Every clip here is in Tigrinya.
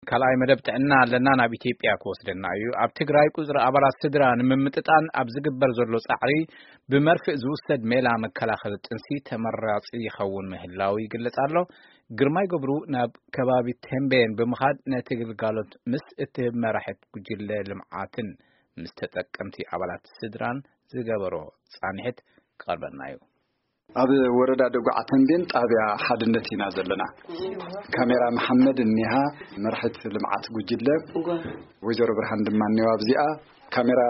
ካልኣይ መደብ ጥዕና ኣለና ናብ ኢትዮጵያ ክወስደና እዩ። ኣብ ትግራይ ቁፅሪ ኣባላት ስድራ ንምምጥጣን ኣብ ዝግበር ዘሎ ፃዕሪ ብመርፍእ ዝውሰድ ሜላ መከላኸሊ ጥንሲ ተመራፂ ይኸውን ምህላው ይግለጽ ኣሎ። ግርማይ ገብሩ ናብ ከባቢ ተምቤን ብምኻድ ነቲ ግልጋሎት ምስ እትህብ መራሒት ጉጅለ ልምዓትን ምስ ተጠቀምቲ ኣባላት ስድራን ዝገበሮ ፃንሒት ክቐርበልና እዩ። ኣብ ወረዳ ደጉዓ ተምቤን ጣብያ ሓድነት ኢና ዘለና። ካሜራ መሓመድ እኒሃ፣ መርሒት ልምዓት ጉጅለ። እወ። ወይዘሮ ብርሃን ድማ እኒዋ ኣብዚኣ። ካሜራ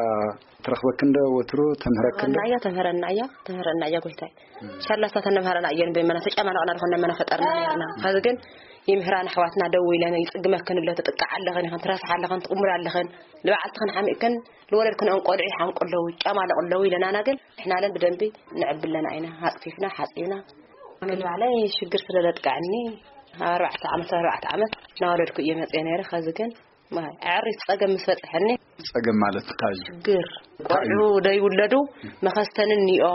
ትረኽበክን ዶ ወትሩ? ተምህረክን ዶ? ተምህረና እያ፣ ተምህረና እያ፣ ተምህረና እያ ጎይታይ። ሻላ እሳ ተነምሃረና እየን በመና ተጫማለቕና ድኾን መና ፈጠርና ነርና። ኸዚ ግን ይምህራን ኣሕዋትና ደው ኢለን ይጽግመክን ኣሎ፣ ትጥቃዕ ኣለኽን ኢኽን፣ ትረስሓ ኣለኽን፣ ትቕሙር ኣለኽን፣ ንበዓልትኽን ሓሚእክን ንወለድክን ቆልዑ ይሓምቁ ኣለዉ፣ ይጫማለቑ ኣለዉ ኢለናና። ግን ንሕና ለን ብደንቢ ንዕብለና ኢና፣ ኣጽፊፍና ሓጺብና። ግን ባዕለይ ሽግር ስለ ዘጥቃዕኒ ኣብ ኣርባዕተ ዓመት፣ ኣርባዕተ ዓመት እናወለድኩ እየ መጽየ ነይረ። ኸዚ ግን ማይ ኣዕሪ ጸገም ምስ በጽሐኒ። ጸገም ማለት እንታይ እዩ? ሽግር ቆልዑ ደይውለዱ መኸስተኒ እኒኦ፣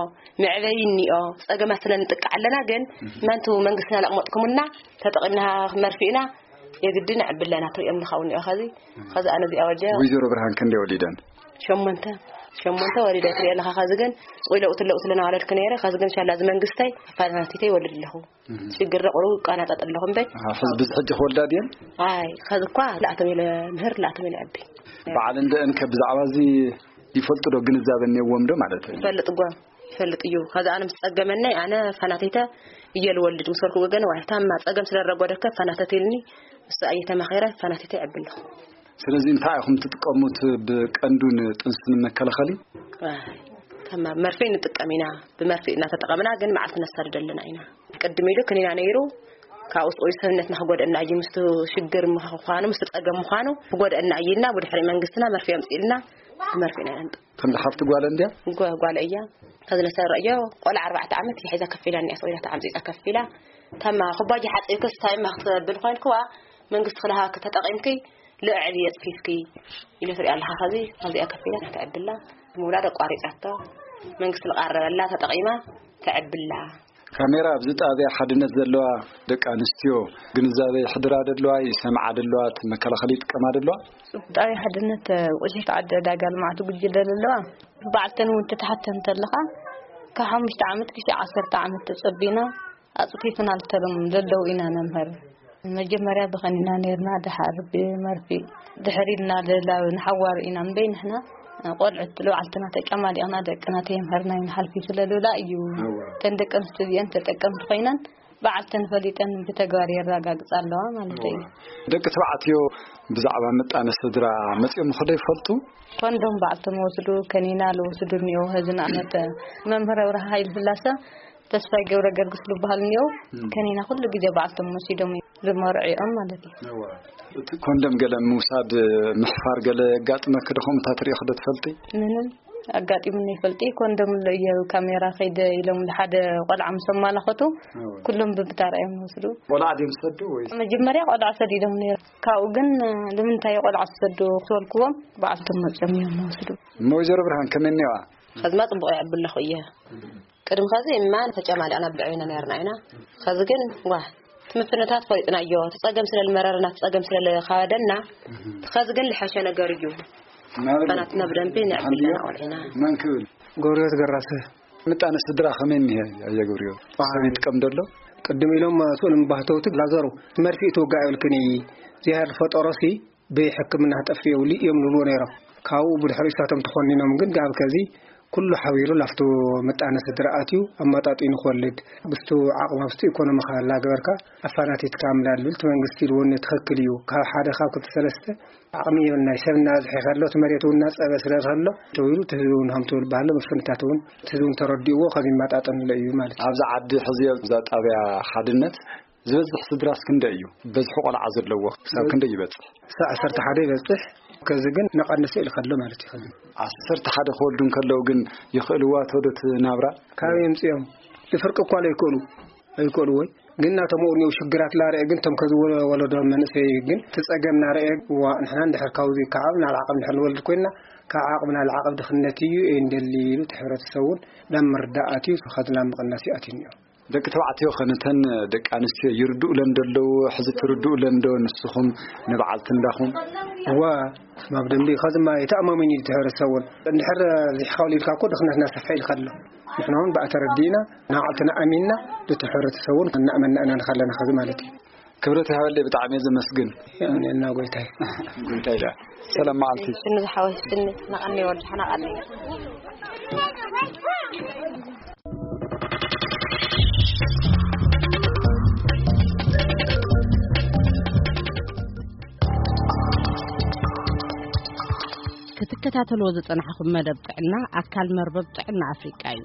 መዕበይ እኒኦ፣ ጸገማት ስለ ንጥቃዕ ኣለና። ግን መንቱ መንግስትና ለቕመጥኩምና ተጠቒምና መርፊእና የግድን ዕብለና ትሪኦም ንኻው እኒኦ። ኸዚ ኸዚ ኣነ እዚኣ ወልደ ወይዘሮ ብርሃን ክንደይ ወሊደን? ሸሞንተ ሸሞንተ ወሊደ ትሪኦ ኣለኻ። ኸዚ ግን ጽቑይ ለውጥ ለውጥ ለናዋለድክ ነይረ። ኸዚ ግን ሻላ እዚ መንግስተይ ኣፋናቲተይ ይወልድ ኣለኹ። ሽግር ደቑሩ ቃናጣጥ ኣለኹ እምበይ። ኣሃ፣ ሕዚ ብዚ ሕጂ ክወልዳ ድየን? ኣይ ኸዚ እኳ ላእቶም ኢለ ምህር ላእቶም ኢለ ዕቢ። በዓል እንደእን ከ ብዛዕባ እዚ ይፈልጡ ዶ? ግንዛበ እኒዎም ዶ ማለት እዩ? ይፈልጥ ጓ ይፈልጥ እዩ። ኸዚ ኣነ ምስ ጸገመናይ ኣነ ፋናቲተ እየ ልወልድ ምስ ወልኩ ወገን ዋሕታማ ጸገም ስለ ረጎደከ ፋናተት ኢልኒ። እሱ ኣየ ተማኺረ ፋናቲተ ዕቢ ኣለኹ። ስለዚ እንታይ ኢኹም ትጥቀሙት ብቀንዱ ንጥንሲ ንመከላኸሊ? ኣይ፣ ተማ መርፌ ንጥቀም ኢና። ብመርፌ እናተጠቐምና ግን መዓልቲ ነሳድድ ኣለና ኢና። ቅድም ኢሉ ክኒና ነይሩ። ካብኡ ስቆይ ሰብነትና ክጎደና እዩ። ምስቱ ሽግር ምዃኑ፣ ምስቱ ጸገም ምዃኑ ክጎደና እዩ ኢልና ብድሕሪ መንግስትና መርፌ ኣምጽኢልና ብመርፌ ኢና ነንጥ-። ክንዲ ሓፍቲ ጓል እንድያ? ጓ-፣ ጓል እያ። ከዚ ነሰረዮ ቆልዓ ኣርባዕተ ዓመት እያ ሒዛ ከፊላ እኒኣ፣ ሰዊዳታ ዓምጺጻ ከፊላ። ተማ ኩባጅ ሓጺብክስ ታይማ ክትብል ኮይንክዋ መንግስቲ ክልሃ ተጠቒምኪ ልዕል የጽፊፍኪ ኢለ ትሪኣ ኣለኻ። ኸዚ ኣብዚኣ ከፊላ ከተዕብላ ምውላድ ኣቋሪጻቶ መንግስቲ ዝቓረበላ ተጠቒማ ተዕብላ። ካሜራ ኣብዚ ጣብያ ሓድነት ዘለዋ ደቂ ኣንስትዮ ግንዛበ ይሕድራ ደለዋ፣ ይሰምዓ ደለዋ፣ እቲ መከላኸሊ ይጥቀማ ደለዋ። ጣብያ ሓድነት ውሽት ዓዲ ዕዳጋ ልምዓት ጉጅለ ዘለዋ በዓልተን እውን ትትሓተን ተለኻ ካብ ሓሙሽተ ዓመት ክሻ ዓሰርተ ዓመት ተጸቢና ኣጽፊፍና ልተሎም ዘለዉ ኢና ነምህር። መጀመርያ ብኸኒና ነርና፣ ደሓር ብመርፊ፣ ድሕር ኢልና ለላዊ ንሓዋሩ ኢና እምበይ ንሕና ቆልዑት ልባዕልትና ተጨማሊቕና ደቅና ተየምህርና እዩ ንሓልፊ ስለ ልብላ እዩ። እወ። እተን ደቂ ኣንስትዮ እዚአን ተጠቀምቲ ኮይነን በዓልተን ፈሊጠን ብተግባር የረጋግጻ ኣለዋ ማለት እዩ። እወ። ደቂ ተባዕትዮ ብዛዕባ ምጣነ ስድራ መጺኦም ኸዶ ይፈልጡ? ኮንዶም በዓልቶም ወስዱ፣ ከኒና ልወስዱ እኒኦ። ህዚ ንኣብነት መምህር ኣብርሃ ሃይለ ስላሰ ተስፋይ ገብረ ገርግስ ዝበሃል እኒኦ። እም። ከኒና ኩሉ ግዜ በዓልቶም ወሲዶም እዮም ዝመርዕኦም ማለት እዩ። እወ። እቲ ኮንደም ገለ ምውሳድ ምሕፋር ገለ የጋጥመኪ ዶ? ከምኡ ትሪኦ ዶ ትፈልጢ? ምንም ኣጋጢሙኒ ይፈልጢ። ኮንደም ኣሎ እየ ካሜራ ከይደ ኢሎም ሓደ ቆልዓ ምስ ኣማላኸቱ እወ። ኩሎም ብብታራ እዮም ዝወስዱ። ቆልዓ ድዮም ዝሰዱ ወይስ? መጀመርያ ቆልዓ ሰዲዶም ነይሩ። ካብኡ ግን ንምንታይ ቆልዓ ዝሰዱ ክበልክዎም በዓልቶም መፅኦም እዮም ዝወስዱ። እሞ ወይዘሮ ብርሃን ከመይ እኒዋ? ኸዝማ ጽቡቕ ይዕቢ ኣለኹ እየ። ቅድሚ ኸዚ እማ ተጨማሊቕና ብልዕብና ነርና ኢና። ኸዚ ግን ዋ እቲ ምፍንታት ፈሊጥናዮ። እቲ ጸገም ስለ ልመረረና፣ እቲ ጸገም ስለ ልኻበደና፣ ኸዚ ግን ልሐሸ ነገር እዩ። ናበለ? ህጻናትና ብደንቢ ንዕቢ ሓልዮ? ኣለና ቆልዕና። መን ክብል? ጎርዮት ገራሰ። ምጣነ ስድራ ከመይ እኒሀ? ኣየ ጎርዮት። ኣይ። ሰብ ይጥቀም ደሎ? ቅድም ኢሎም ስኡል ባህተውቲ ላዘሩ መርፊእ ትውጋእ ይብልክኒ። ዚሃር ፈጠሮሲ ብሕክምና ክጠፍእ የብሉ እዮም ዝብልዎ ነይሮም። ካብኡ ብድሕሪ እሳቶም ተኾኒኖም ግን ጋብ ከዚ ኩሉ ሓቢሩ ላፍቶ ምጣነ ስድራ ኣትዩ ኣመጣጢኑ ክወልድ ብስቱ ዓቕሚ ኣብስቱ ኢኮኖሚ ካላ ገበርካ ኣፋናቲትካ ምላድ ልብል እቲ መንግስቲ ኢልዎ እኒ ትኽክል እዩ። ካብ ሓደ ካብ ክልተ ሰለስተ ዓቕሚ የብልናይ ሰብ እናበዝሐ ከሎ እቲ መሬት እውን እናፀበ ስለ ዝኸሎ ተዊሉ እቲ ህዝቢ እውን ሃምቶ ዝበሃሎ መፍንታት እውን እቲ ህዝቢ እውን ተረዲእዎ ካብ ይመጣጠንሎ እዩ ማለት እዩ። ኣብዚ ዓዲ ሕዚ ኣብዛ ጣብያ ሓድነት ዝበዝሕ ስድራስ ክንደይ እዩ? በዝሒ ቆልዓ ዘለዎ ክሳብ ክንደይ ይበጽሕ? ክሳብ ዓሰርተ ሓደ ይበጽሕ። ከዚ ግን ነቐንሰ ኢሉ ከሎ ማለት እዩ። ከዚ ዓሰርተ ሓደ ክወልዱ እንከለዉ ግን ይኽእልዋ ዶ እቲ ናብራ? ካበይ የምጽኦም? ዝፍርቂ እኳ ለይክእሉ፣ ኣይክእሉ ወይ ግን እናተመኡ እኒው ሽግራት ላርአ ግን ቶም ከዚ ወ-፣ ወለዶ መንእሰይ ግን ትጸገም ናርአ ዋ ንሕና እንድሕር ካብዚ ካብ ናብ ዓቐብ እንድሕር ንወልድ ኮይንና ካብ ዓቕምና ንዓቐብ ድኽነት እዩ እንደሊ ኢሉ እቲ ሕብረተሰብ እውን ናብ ምርዳእ ኣትዩ ከዚ ናብ ምቕናስ እዩ ኣትዩ እኒኦ። ደቂ ተባዕትዮ ኸነተን ደቂ ኣንስትዮ ይርድኡለን ደለዉ? ሕዚ ትርድኡለን ዶ ንስኹም ንበዓልቲ እንዳኹም? እዋ፣ ስማብ ደንቢ ኸዝማ የተኣማመኝ እዩ ሕብረተሰቡን። እንድሕር ዚሕኻሉ ኢልካ እኮ ድኽነትና ሰፍሕ ኢልካ ኣሎ። ንሕና እውን ብኣ ተረዲእና ንዓልትና ኣሚንና ነቲ ሕብረተሰቡን እናእመንና ኢና ንኻለና ኸዚ ማለት እዩ። ክብረት ይሃበለይ፣ ብጣዕሚ እየ ዘመስግን። የምንና ጎይታይ። ጎይታይ ኢላ። ሰላም መዓልቲ። ስኒ ዝሓወይ ስኒ፣ ናቐኒ ወዲ ሓናቐኒ። ክትከታተልዎ ዝጸናሕኹም መደብ ጥዕና ኣካል መርበብ ጥዕና ኣፍሪቃ እዩ።